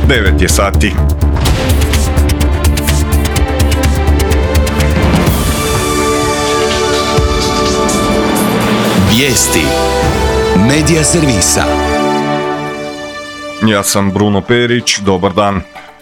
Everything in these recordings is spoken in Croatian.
9 je sati. Vijesti Medija servisa. Ja sam Bruno Perić, dobar dan.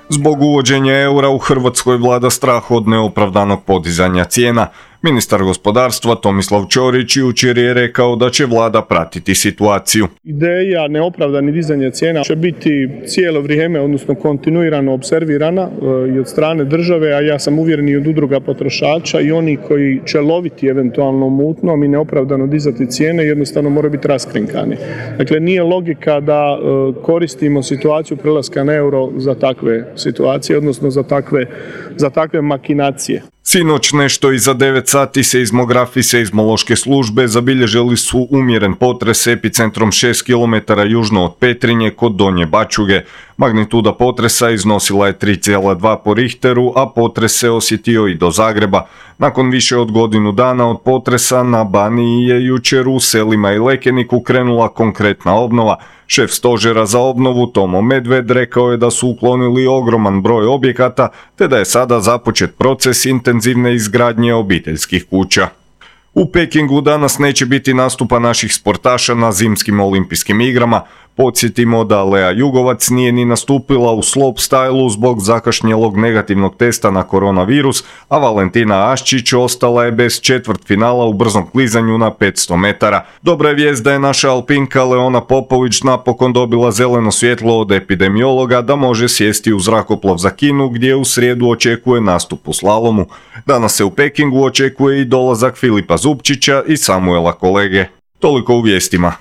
Zbog uvođenja eura u Hrvatskoj vlada strah od neopravdanog podizanja cijena. Ministar gospodarstva Tomislav Ćorić jučer je rekao da će vlada pratiti situaciju. Ideja neopravdanih dizanja cijena će biti cijelo vrijeme, odnosno kontinuirano observirana i od strane države, a ja sam uvjeren i od udruga potrošača i oni koji će loviti eventualno mutnom i neopravdano dizati cijene jednostavno moraju biti raskrinkani. Dakle, nije logika da koristimo situaciju prelaska na euro za takve situacije, odnosno za takve makinacije. Sinoć nešto iza 9 sati seizmografi seizmološke službe zabilježili su umjeren potres epicentrom 6 km južno od Petrinje kod Donje Bačuge. Magnituda potresa iznosila je 3,2 po Richteru, a potres se osjetio i do Zagreba. Nakon više od godinu dana od potresa na Baniji je jučer u Selima i Lekeniku krenula konkretna obnova. Šef stožera za obnovu Tomo Medved rekao je da su uklonili ogroman broj objekata, te da je sada započet proces intenzivne izgradnje obiteljskih kuća. U Pekingu danas neće biti nastupa naših sportaša na zimskim olimpijskim igrama. Podsjetimo da Lea Jugovac nije ni nastupila u slopestyle zbog zakašnjelog negativnog testa na koronavirus, a Valentina Aščić ostala je bez četvrtfinala u brzom klizanju na 500 metara. Dobra je vijest da je naša alpinka Leona Popović napokon dobila zeleno svjetlo od epidemiologa da može sjesti u zrakoplov za Kinu, gdje u srijedu očekuje nastup u slalomu. Danas se u Pekingu očekuje i dolazak Filipa Zupčića i Samuela Kolege. Toliko u vijestima.